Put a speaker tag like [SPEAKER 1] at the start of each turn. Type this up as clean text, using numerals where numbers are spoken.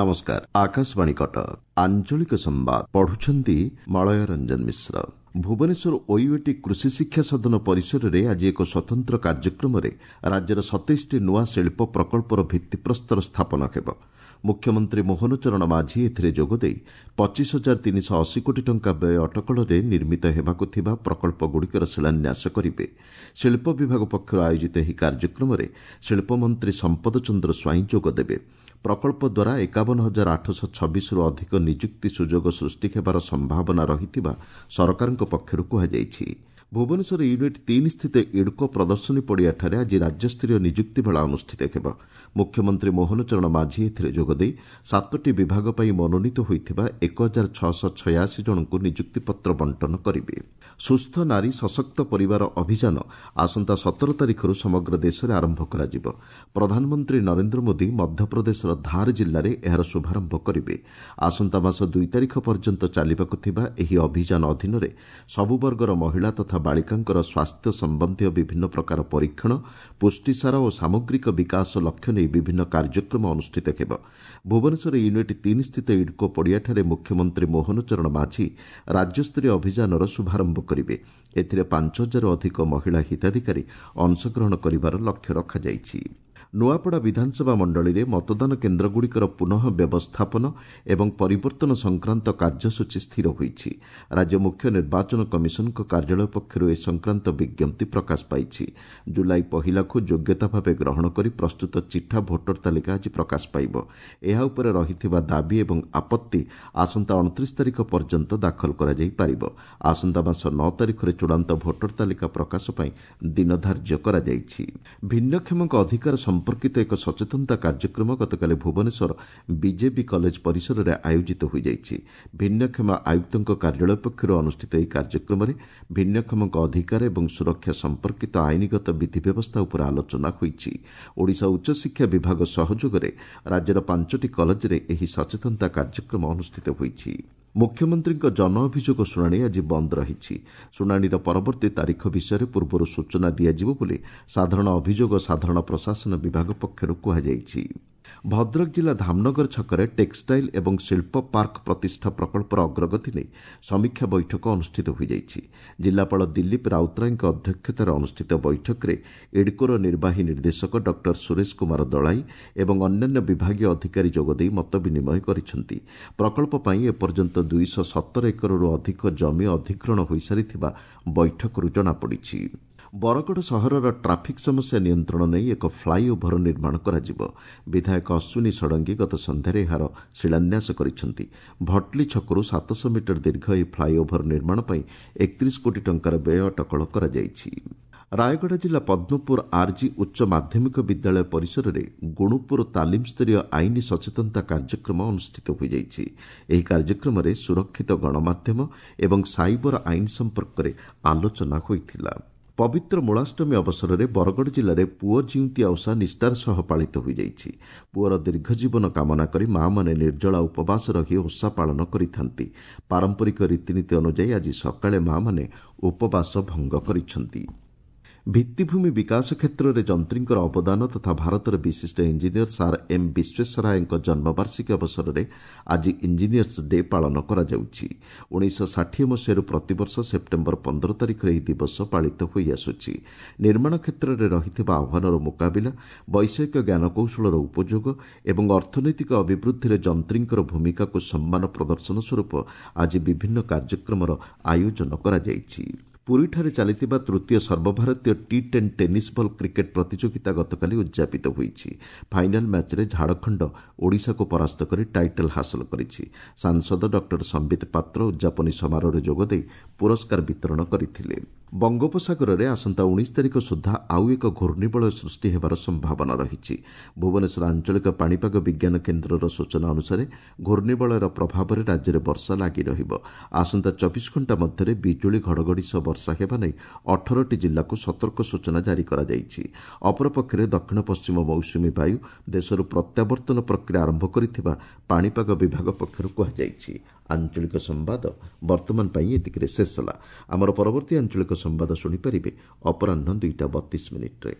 [SPEAKER 1] ନମସ୍କାର, ଆକାଶବାଣୀ କଟକ, ଆଞ୍ଚଳିକ ସମ୍ବାଦ ପଢୁଛନ୍ତି ମଳୟ ରଞ୍ଜନ ମିଶ୍ର। ଭୁବନେଶ୍ୱର ଓୟୁଏଟି କୃଷି ଶିକ୍ଷା ସଦନ ପରିସରରେ ଆଜି ଏକ ସ୍ୱତନ୍ତ୍ର କାର୍ଯ୍ୟକ୍ରମରେ ରାଜ୍ୟର 27ଟି ନୂଆ ଶିଳ୍ପ ପ୍ରକଳ୍ପର ଭିତ୍ତିପ୍ରସ୍ତର ସ୍ଥାପନ ହେବ। ମୁଖ୍ୟମନ୍ତ୍ରୀ ମୋହନ ଚରଣ ମାଝୀ ଏଥିରେ ଯୋଗଦେଇ 25,380 କୋଟି ଟଙ୍କା ବ୍ୟୟ ଅଟକଳରେ ନିର୍ମିତ ହେବାକୁ ଥିବା ପ୍ରକଳ୍ପଗୁଡ଼ିକର ଶିଳାନ୍ୟାସ କରିବେ। ଶିଳ୍ପ ବିଭାଗ ପକ୍ଷରୁ ଆୟୋଜିତ ଏହି କାର୍ଯ୍ୟକ୍ରମରେ ଶିଳ୍ପମନ୍ତ୍ରୀ ସମ୍ପଦ ଚନ୍ଦ୍ର ସ୍ୱାଇଁ ଯୋଗଦେବେ। ପ୍ରକଳ୍ପ ଦ୍ୱାରା 51,826ରୁ ଅଧିକ ନିଯୁକ୍ତି ସୁଯୋଗ ସୃଷ୍ଟି ହେବାର ସମ୍ଭାବନା ରହିଥିବା ସରକାରଙ୍କ ପକ୍ଷରୁ କୁହାଯାଇଛି। ଭୁବନେଶ୍ୱର ୟୁନିଟ୍ 3 ସ୍ଥିତ ଇଡ୍କୋ ପ୍ରଦର୍ଶନୀ ପଡ଼ିଆଠାରେ ଆଜି ରାଜ୍ୟସ୍ତରୀୟ ନିଯୁକ୍ତି ମେଳା ଅନୁଷ୍ଠିତ ହେବ। ମୁଖ୍ୟମନ୍ତ୍ରୀ ମୋହନ ଚରଣ ମାଝୀ ଏଥିରେ ଯୋଗଦେଇ 7ଟି ବିଭାଗ ପାଇଁ ମନୋନୀତ ହୋଇଥିବା 1686 ଜଣଙ୍କୁ ନିଯୁକ୍ତିପତ୍ର ବଣ୍ଟନ କରିବେ। ସୁସ୍ଥ ନାରୀ ସଶକ୍ତ ପରିବାର ଅଭିଯାନ ଆସନ୍ତା 17 ତାରିଖରୁ ସମଗ୍ର ଦେଶରେ ଆରମ୍ଭ କରାଯିବ। ପ୍ରଧାନମନ୍ତ୍ରୀ ନରେନ୍ଦ୍ର ମୋଦି ମଧ୍ୟପ୍ରଦେଶର ଧାର ଜିଲ୍ଲାରେ ଏହାର ଶୁଭାରମ୍ଭ କରିବେ। ଆସନ୍ତା ମାସ 2 ତାରିଖ ପର୍ଯ୍ୟନ୍ତ ଚାଲିବାକୁ ଥିବା ଏହି ଅଭିଯାନ ଅଧୀନରେ ସବୁ ବର୍ଗର ମହିଳା ତଥା ବାଳିକାଙ୍କର ସ୍ୱାସ୍ଥ୍ୟ ସମ୍ବନ୍ଧୀୟ ବିଭିନ୍ନ ପ୍ରକାର ପରୀକ୍ଷଣ, ପୁଷ୍ଟିସାର ଓ ସାମଗ୍ରିକ ବିକାଶ ଲକ୍ଷ୍ୟ ନେଇ ବିଭିନ୍ନ କାର୍ଯ୍ୟକ୍ରମ ଅନୁଷ୍ଠିତ ହେବ। ଭୁବନେଶ୍ୱର ୟୁନିଟ୍ 3 ସ୍ଥିତ ଇଡ୍କୋ ପଡ଼ିଆଠାରେ ମୁଖ୍ୟମନ୍ତ୍ରୀ ମୋହନ ଚରଣ ମାଝୀ ରାଜ୍ୟସ୍ତରୀୟ ଅଭିଯାନର ଶୁଭାରମ୍ଭ କରିବେ। ଏଥିରେ 5,000ରୁ ଅଧିକ ମହିଳା ହିତାଧିକାରୀ ଅଂଶଗ୍ରହଣ କରିବାର ଲକ୍ଷ୍ୟ ରଖାଯାଇଛି। ନୂଆପଡ଼ା ବିଧାନସଭା ମଣ୍ଡଳୀରେ ମତଦାନ କେନ୍ଦ୍ରଗୁଡ଼ିକର ପୁନଃ ବ୍ୟବସ୍ଥାପନ ଏବଂ ପରିବର୍ତ୍ତନ ସଂକ୍ରାନ୍ତ କାର୍ଯ୍ୟସୂଚୀ ସ୍ଥିର ହୋଇଛି। ରାଜ୍ୟ ମୁଖ୍ୟ ନିର୍ବାଚନ କମିଶନଙ୍କ କାର୍ଯ୍ୟାଳୟ ପକ୍ଷରୁ ଏ ସଂକ୍ରାନ୍ତ ବିଜ୍ଞପ୍ତି ପ୍ରକାଶ ପାଇଛି। ଜୁଲାଇ 1କୁ ଯୋଗ୍ୟତା ଭାବେ ଗ୍ରହଣ କରି ପ୍ରସ୍ତୁତ ଚିଠା ଭୋଟର ତାଲିକା ଆଜି ପ୍ରକାଶ ପାଇବ। ଏହା ଉପରେ ରହିଥିବା ଦାବି ଏବଂ ଆପତ୍ତି ଆସନ୍ତା 29 ତାରିଖ ପର୍ଯ୍ୟନ୍ତ ଦାଖଲ କରାଯାଇପାରିବ। ଆସନ୍ତା ମାସ 9 ତାରିଖରେ ଚୂଡ଼ାନ୍ତ ଭୋଟର ତାଲିକା ପ୍ରକାଶ ପାଇଁ ଦିନ ଧାର୍ଯ୍ୟ କରାଯାଇଛି। ଭିନ୍ନକ୍ଷମଙ୍କ ଅଧିକାର ସମ୍ପର୍କିତ ଏକ ସଚେତନତା କାର୍ଯ୍ୟକ୍ରମ ଗତକାଲି ଭୁବନେଶ୍ୱର ବିଜେବି କଲେଜ ପରିସରରେ ଆୟୋଜିତ ହୋଇଯାଇଛି। ଭିନ୍ନକ୍ଷମ ଆୟୁକ୍ତଙ୍କ କାର୍ଯ୍ୟାଳୟ ପକ୍ଷରୁ ଅନୁଷ୍ଠିତ ଏହି କାର୍ଯ୍ୟକ୍ରମରେ ଭିନ୍ନକ୍ଷମଙ୍କ ଅଧିକାର ଏବଂ ସୁରକ୍ଷା ସମ୍ପର୍କିତ ଆଇନଗତ ବିଧି ବ୍ୟବସ୍ଥା ଉପରେ ଆଲୋଚନା ହୋଇଛି। ଓଡ଼ିଶା ଉଚ୍ଚଶିକ୍ଷା ବିଭାଗ ସହଯୋଗରେ ରାଜ୍ୟର 5ଟି କଲେଜରେ ଏହି ସଚେତନତା କାର୍ଯ୍ୟକ୍ରମ ଅନୁଷ୍ଠିତ ହୋଇଛି। ମୁଖ୍ୟମନ୍ତ୍ରୀଙ୍କ ଜନ ଅଭିଯୋଗ ଶୁଣାଣି ଆଜି ବନ୍ଦ ରହିଛି। ଶୁଣାଣିର ପରବର୍ତ୍ତୀ ତାରିଖ ବିଷୟରେ ପୂର୍ବରୁ ସୂଚନା ଦିଆଯିବ ବୋଲି ସାଧାରଣ ଅଭିଯୋଗ ସାଧାରଣ ପ୍ରଶାସନ ବିଭାଗ ପକ୍ଷରୁ କୁହାଯାଇଛି। ଭଦ୍ରକ ଜିଲ୍ଲା ଧାମନଗର ଛକରେ ଟେକ୍ସଟାଇଲ୍ ଏବଂ ଶିଳ୍ପ ପାର୍କ ପ୍ରତିଷ୍ଠା ପ୍ରକଳ୍ପର ଅଗ୍ରଗତି ନେଇ ସମୀକ୍ଷା ବୈଠକ ଅନୁଷ୍ଠିତ ହୋଇଯାଇଛି। ଜିଲ୍ଲାପାଳ ଦିଲ୍ଲୀପ ରାଉତରାୟଙ୍କ ଅଧ୍ୟକ୍ଷତାରେ ଅନୁଷ୍ଠିତ ବୈଠକରେ ଇଡ୍କୋର ନିର୍ବାହୀ ନିର୍ଦ୍ଦେଶକ ଡକ୍ଟର ସୁରେଶ କୁମାର ଦଳାଇ ଏବଂ ଅନ୍ୟାନ୍ୟ ବିଭାଗୀୟ ଅଧିକାରୀ ଯୋଗଦେଇ ମତ ବିନିମୟ କରିଛନ୍ତି। ପ୍ରକଳ୍ପ ପାଇଁ ଏପର୍ଯ୍ୟନ୍ତ 217 ଏକରରୁ ଅଧିକ ଜମି ଅଧିଗ୍ରହଣ ହୋଇସାରିଥିବା ବୈଠକରୁ ଜଣାପଡ଼ିଛି। ବରଗଡ଼ ସହରର ଟ୍ରାଫିକ୍ ସମସ୍ୟା ନିୟନ୍ତ୍ରଣ ନେଇ ଏକ ଫ୍ଲାଇ ଓଭର ନିର୍ମାଣ କରାଯିବ। ବିଧାୟକ ଅଶ୍ୱିନୀ ଷଡ଼ଙ୍ଗୀ ଗତ ସନ୍ଧ୍ୟାରେ ଏହାର ଶିଳାନ୍ୟାସ କରିଛନ୍ତି। ଭଟଲି ଛକରୁ 700 ମିଟର ଦୀର୍ଘ ଏହି ଫ୍ଲାଇ ଓଭର ନିର୍ମାଣ ପାଇଁ 31 କୋଟି ଟଙ୍କାର ବ୍ୟୟ ଅଟକଳ କରାଯାଇଛି। ରାୟଗଡ଼ା ଜିଲ୍ଲା ପଦ୍ମପୁର ଆର୍ଜି ଉଚ୍ଚ ମାଧ୍ୟମିକ ବିଦ୍ୟାଳୟ ପରିସରରେ ଗୁଣୁପୁର ତାଲିମ ସ୍ତରୀୟ ଆଇନ ସଚେତନତା କାର୍ଯ୍ୟକ୍ରମ ଅନୁଷ୍ଠିତ ହୋଇଯାଇଛି। ଏହି କାର୍ଯ୍ୟକ୍ରମରେ ସୁରକ୍ଷିତ ଗଣମାଧ୍ୟମ ଏବଂ ସାଇବର ଆଇନ ସମ୍ପର୍କରେ ଆଲୋଚନା ହୋଇଥିଲା। ପବିତ୍ର ମୂଳାଷ୍ଟମୀ ଅବସରରେ ବରଗଡ଼ ଜିଲ୍ଲାରେ ପୁଅ ଜିଉନ୍ତିଆ ଓଷା ନିଷ୍ଠାର ସହ ପାଳିତ ହୋଇଯାଇଛି। ପୁଅର ଦୀର୍ଘ ଜୀବନ କାମନା କରି ମାଆମାନେ ନିର୍ଜଳା ଉପବାସ ରହି ଓଷା ପାଳନ କରିଥାନ୍ତି। ପାରମ୍ପରିକ ରୀତିନୀତି ଅନୁଯାୟୀ ଆଜି ସକାଳେ ମାଆମାନେ ଉପବାସ ଭଙ୍ଗ କରିଛନ୍ତି। ଭିତ୍ତିଭୂମି ବିକାଶ କ୍ଷେତ୍ରରେ ଯନ୍ତ୍ରୀଙ୍କର ଅବଦାନ ତଥା ଭାରତର ବିଶିଷ୍ଟ ଇଞ୍ଜିନିୟର ସାର୍ ଏମ୍ ବିଶ୍ୱେଶ୍ୱରାୟଙ୍କ ଜନ୍ମବାର୍ଷିକୀ ଅବସରରେ ଆଜି ଇଞ୍ଜିନିୟର୍ସ ଡେ ପାଳନ କରାଯାଉଛି। 1960 ମସିହାରୁ ପ୍ରତିବର୍ଷ ସେପ୍ଟେମ୍ବର 15 ତାରିଖରେ ଏହି ଦିବସ ପାଳିତ ହୋଇଆସୁଛି। ନିର୍ମାଣ କ୍ଷେତ୍ରରେ ରହିଥିବା ଆହ୍ୱାନର ମୁକାବିଲା, ବୈଷୟିକ ଜ୍ଞାନକୌଶଳର ଉପଯୋଗ ଏବଂ ଅର୍ଥନୈତିକ ଅଭିବୃଦ୍ଧିରେ ଯନ୍ତ୍ରୀଙ୍କର ଭୂମିକାକୁ ସମ୍ମାନ ପ୍ରଦର୍ଶନ ସ୍ୱରୂପ ଆଜି ବିଭିନ୍ନ କାର୍ଯ୍ୟକ୍ରମର ଆୟୋଜନ କରାଯାଇଛି। ପୁରୀଠାରେ ଚାଲିଥିବା ତୃତୀୟ ସର୍ବଭାରତୀୟ ଟି-10 ଟେନିସ୍ ବଲ୍ କ୍ରିକେଟ୍ ପ୍ରତିଯୋଗିତା ଗତକାଲି ଉଦ୍ଯାପିତ ହୋଇଛି। ଫାଇନାଲ୍ ମ୍ୟାଚ୍ରେ ଝାଡ଼ଖଣ୍ଡ ଓଡ଼ିଶାକୁ ପରାସ୍ତ କରି ଟାଇଟଲ୍ ହାସଲ କରିଛି। ସାଂସଦ ଡକ୍ଟର ସମ୍ବିତ ପାତ୍ର ଉଦ୍ଯାପନୀ ସମାରୋହରେ ଯୋଗଦେଇ ପୁରସ୍କାର ବିତରଣ କରିଥିଲେ। ବଙ୍ଗୋପସାଗରରେ ଆସନ୍ତା 19 ତାରିଖ ସୁଦ୍ଧା ଆଉ ଏକ ଘୂର୍ଣ୍ଣିବଳୟ ସୃଷ୍ଟି ହେବାର ସମ୍ଭାବନା ରହିଛି। ଭୁବନେଶ୍ୱର ଆଞ୍ଚଳିକ ପାଣିପାଗ ବିଜ୍ଞାନ କେନ୍ଦ୍ରର ସୂଚନା ଅନୁସାରେ ଘୂର୍ଣ୍ଣିବଳୟର ପ୍ରଭାବରେ ରାଜ୍ୟରେ ବର୍ଷା ଲାଗି ରହିବ। ଆସନ୍ତା 24 ଘଣ୍ଟା ମଧ୍ୟରେ ବିଜୁଳି ଘଡ଼ଘଡ଼ି ସହ ବର୍ଷା ହେବା ନେଇ 18ଟି ଜିଲ୍ଲାକୁ ସତର୍କ ସୂଚନା ଜାରି କରାଯାଇଛି। ଅପରପକ୍ଷରେ ଦକ୍ଷିଣ ପଶ୍ଚିମ ମୌସୁମୀ ବାୟୁ ଦେଶରୁ ପ୍ରତ୍ୟାବର୍ତ୍ତନ ପ୍ରକ୍ରିୟା ଆରମ୍ଭ କରିଥିବା ପାଣିପାଗ ବିଭାଗ ପକ୍ଷରୁ କୁହାଯାଇଛି। ଆଞ୍ଚଳିକ ସମ୍ବାଦ ବର୍ତ୍ତମାନ ପାଇଁ ଏତିକିରେ ଶେଷ ହେଲା। ଆମର ପରବର୍ତ୍ତୀ ଆଞ୍ଚଳିକ ସମ୍ବାଦ ଶୁଣିପାରିବେ ଅପରାହ୍ନ 2ଟା 32 ମିନିଟ୍ରେ।